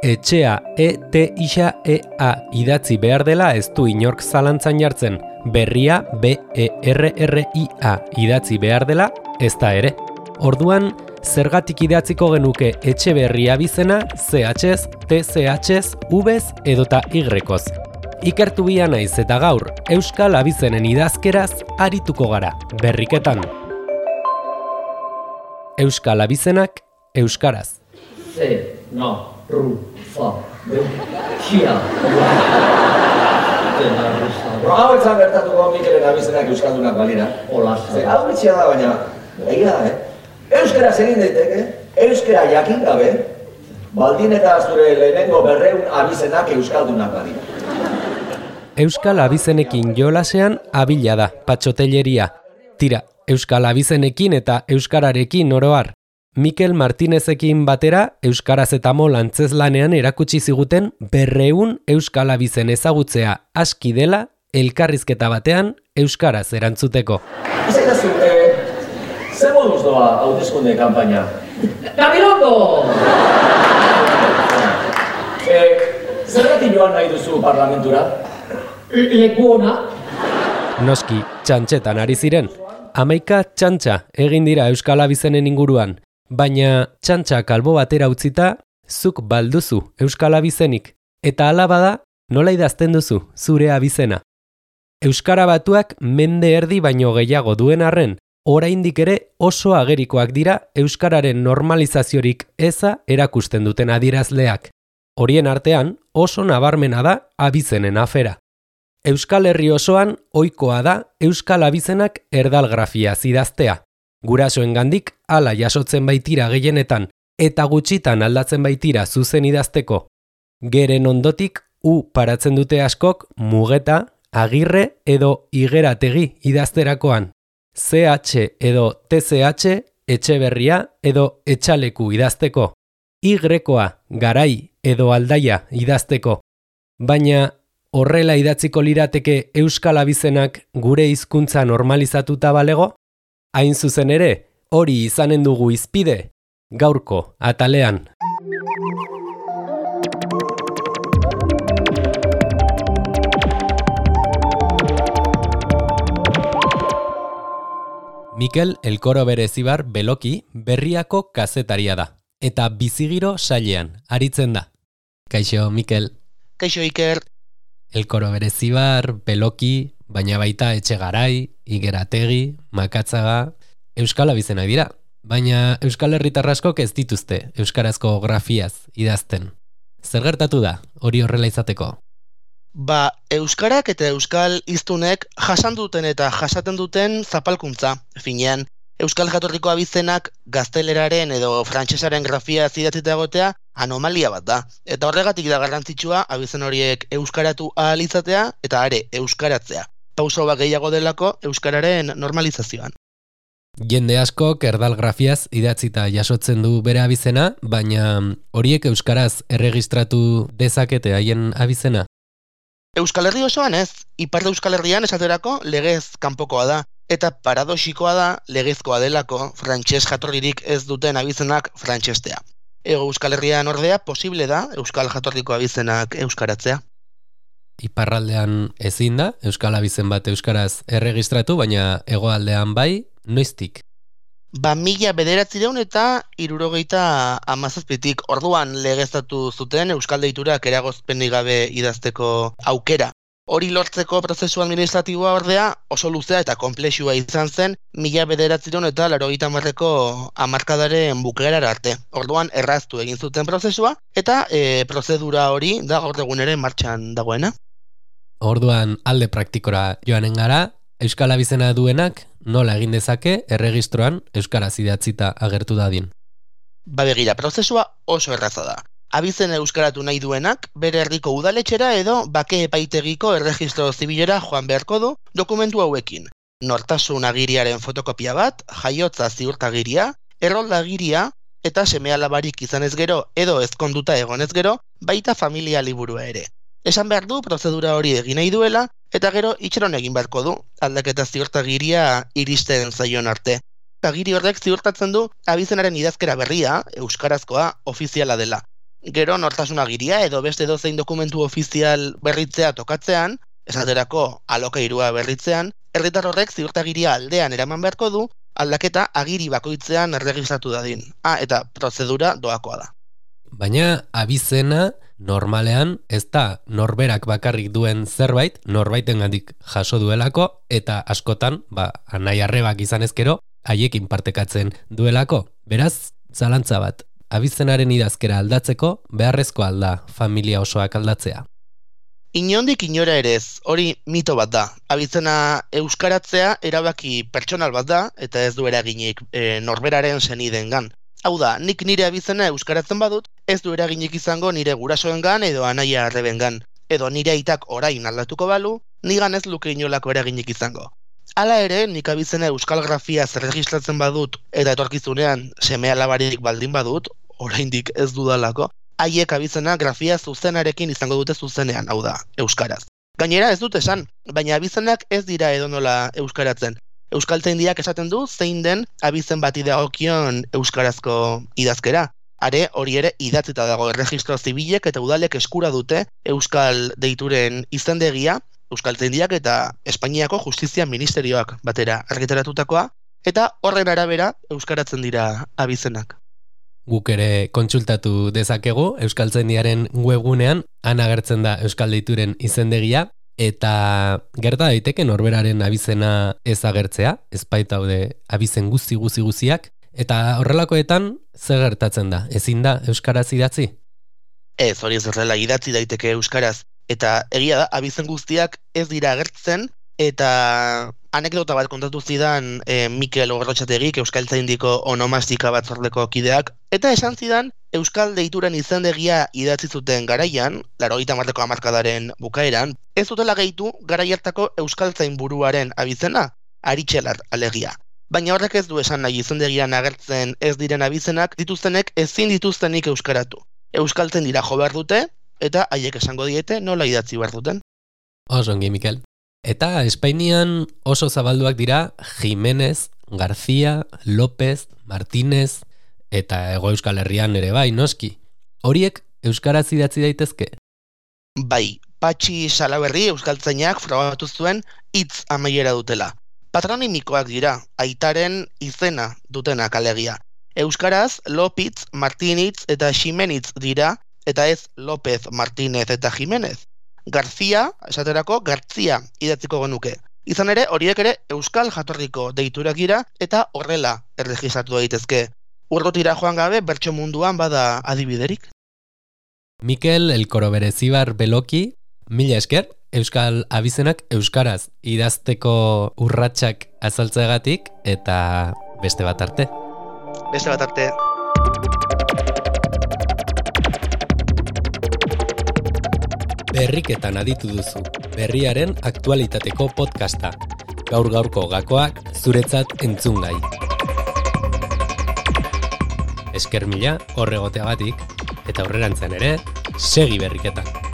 etxea ETIXA idatzi behar dela ez du inork zalantzan jartzen. Berria BERRIA idatzi behar dela ez da ere. Orduan, zergatik idatziko genuke Etxeberria abizena CHez, TCHez, Vz edota Ykoz. Ikertu bia naiz eta gaur Euskal abizenen idazkeraz arituko gara, berriketan. Euskal abizenak euskaraz. C, no, ru, fa, de, kia, hau etzan gertatuko Mikelen abizenak euskaldunak balira. Hola, hau bitxia da, baina, egia da, Euskaraz egin daiteke, euskara jakin gabe, baldin eta zure lehenengo 200 abizenak euskaldunak balira. Euskal abizenekin jolasean abila da, patxotelleria. Tira, Euskal abizenekin eta euskararekin oroar. Mikel Martinezekin batera euskaraz eta mol antzezlanean erakutsi ziguten 200 euskal abizen ezagutzea aski dela elkarrizketa batean euskaraz erantzuteko. Izaitazu, ze moduz doa hauteskunde kanpaina? Gabilondo! Zergatik joan nahi duzu parlamentura? Leku ona? Noski, txantxetan ari ziren. 11 txantxa egin dira euskal abizenen inguruan. Baina txantxak albo batera utzita, zuk balduzu euskal abizenik, eta hala bada, nola idazten duzu zure abizena. Euskara batuak mende erdi baino gehiago duen arren, oraindik ere oso agerikoak dira euskararen normalizaziorik eza erakusten duten adierazleak. Horien artean oso nabarmena da abizenen afera. Euskal Herri osoan ohikoa da euskal abizenak erdalgrafiaz idaztea. Gurasoengandik hala jasotzen baitira gehienetan eta gutxitan aldatzen baitira zuzen idazteko. Geren ondotik paratzen dute askok mugeta, agirre edo igerategi idazterakoan. CH edo TCH etxeberria edo etxaleku idazteko. Y-koa garai edo aldaia idazteko. Baina horrela idatziko lirateke euskal abizenak gure hizkuntza normalizatuta balego? Hain zuzen ere, hori izanen dugu izpide, gaurko atalean. Mikel Elkoro Berezibar Beloki Berriako kazetaria da, eta bizigiro sailean aritzen da. Kaixo, Mikel. Kaixo, Iker. Elkoro Berezibar, Beloki, baina baita Etxegarai, Igerategi, Makatzaga, euskal abizenak dira. Baina euskal herritar askok ez dituzte euskarazko grafiaz idazten. Zer gertatu da hori horrela izateko? Euskarak eta euskal hiztunek jasan duten eta jasaten duten zapalkuntza, finean. Euskal jatorriko abizenak gazteleraren edo frantsesaren grafia idatzita egotea anomalia bat da. Eta horregatik da garrantzitsua abizen horiek euskaratu ahal izatea eta are euskaratzea. Pauso bat gehiago delako euskararen normalizazioan. Jende askok erdal grafiaz idatzita jasotzen du bere abizena, baina horiek euskaraz erregistratu dezakete haien abizena? Euskal Herri osoan ez, ipar Euskal Herrian esaterako legez kanpokoa da. Eta paradoxikoa da legezkoa delako frantses jatorririk ez duten abizenak frantsestea. Hego Euskal Herrian ordea posible da euskal jatorriko abizenak euskaratzea. Iparraldean ezin da euskal abizen bat euskaraz erregistratu, baina hegoaldean bai, noiztik? 1900 eta 1977 orduan legeztatu zuten euskal deiturak eragozpenik gabe idazteko aukera. Hori lortzeko prozesu administratiboa ordea oso luzea eta konplexua izan zen 1980ko hamarkadaren bukaerara arte. Orduan erraztu egin zuten prozesua eta prozedura hori da gaur egun ere martxan dagoena. Orduan alde praktikora joanen gara, euskal abizena duenak nola egin dezake erregistroan euskaraz idatzita agertu dadin? Begira, prozesua oso erraza da. Abizen euskaratu nahi duenak, bere herriko udaletxera edo bake epaitegiko erregistro zibilera joan beharko du dokumentu hauekin. Nortasun agiriaren fotokopia bat, jaiotza ziurtagiria, erroldagiria eta seme-alabarik izanez gero edo ezkonduta egonez gero, baita familia liburua ere. Esan behar du prozedura hori egin nahi duela eta gero itxeron egin beharko du, aldaketa ziurtagiria iristen zaion arte. Agiri horrek ziurtatzen du abizenaren idazkera berria, euskarazkoa, ofiziala dela. gero nortasun agiria edo beste dozein dokumentu ofizial berritzea tokatzean, esaterako alokairua berritzean, herritar horrek ziurtagiria aldean eraman beharko du, aldaketa agiri bakoitzean erregistratu dadin. Eta prozedura doakoa da. Baina abizena normalean ez da norberak bakarrik duen zerbait, norbaitengandik jaso duelako, eta askotan, anai arrebak izan ezkero, haiekin partekatzen duelako. Beraz, zalantza bat, abizenaren idazkera aldatzeko beharrezko alda familia osoak aldatzea. Inondik inora ere ez, hori mito bat da. Abizena euskaratzea erabaki pertsonal bat da, eta ez du eraginik norberaren senidengan. Hau da, nik nire abizena euskaratzen badut, ez du eraginik izango nire gurasoengan edo anaia arrebengan. Edo nire aitak orain aldatuko balu, nigan ez luke inolako eraginik izango. Hala ere, nik abizena euskal grafiaz erregistratzen badut, eta etorkizunean seme alabarik baldin badut, oraindik ez dudalako, haiek abizena grafia zuzenarekin izango dute zuzenean, hau da, euskaraz. Gainera ez dut esan, baina abizenak ez dira edonola euskaratzen. Euskaltzaindiak esaten du zein den abizen bati dagokion euskarazko idazkera. Are, hori ere idatzita dago erregistro zibilek eta udalek eskura dute euskal deituren izendegia, Euskaltzaindiak eta Espainiako Justizia Ministerioak batera argitaratutakoa, eta horren arabera euskaratzen dira abizenak. Guk ere kontsultatu dezakegu Euskaltzaindiaren webgunean, han agertzen da euskal deituren izendegia, eta gerta daiteke norberaren abizena ez agertzea, ez baitaude abizen guziak, eta horrelakoetan zer gertatzen da, ezin da euskaraz idatzi? Ez, hori ez horrela idatzi daiteke euskaraz, eta egia da, abizen guztiak ez dira agertzen, eta anekdota bat kontatu zidan Mikel Gorrotxategik, Euskaltzaindiko onomastika batzordeko kideak, eta esan zidan euskal deituren izendegia idatzi zuten garaian, 80ko hamarkadaren bukaeran, ez dutela gehitu garai hartako euskaltzain buruaren abizena, Aritxelar alegia. Baina horrek ez du esan nahi izendegian agertzen ez diren abizenak dituztenek ezin dituztenik euskaratu. Euskaltzen dira jo behar dute, eta haiek esango diete nola idatzi behar duten. Oso ongi, Mikel. Eta Espainian oso zabalduak dira Jimenez, García, López, Martínez, eta Hego Euskal Herrian ere bai, noski. Horiek euskaraz idatzi daitezke? Bai, Patxi Salaberri euskaltzainak frogatu zuen hitz amaiera dutela. Patronimikoak dira, aitaren izena dutenak alegia. Euskaraz, Lopitz, Martinitz eta Ximenitz dira, eta ez López, Martínez eta Jimenez. García, esaterako, Gartzia idatziko genuke. Izan ere, horiek ere euskal jatorriko deiturak dira eta horrela erregistratu daitezke. Urrutira joan gabe bertso munduan bada adibiderik. Mikel Elkoro Berezibar Beloki, mila esker, euskal abizenak euskaraz idazteko urratsak azaltzeagatik eta beste bat arte. Beste bat arte. Berriketan aditu duzu, berriaren aktualitateko podcasta. Gaur-gaurko gakoak zuretzat entzungai. Esker mila horregoteagatik, eta aurrerantzean ere, segi berriketan.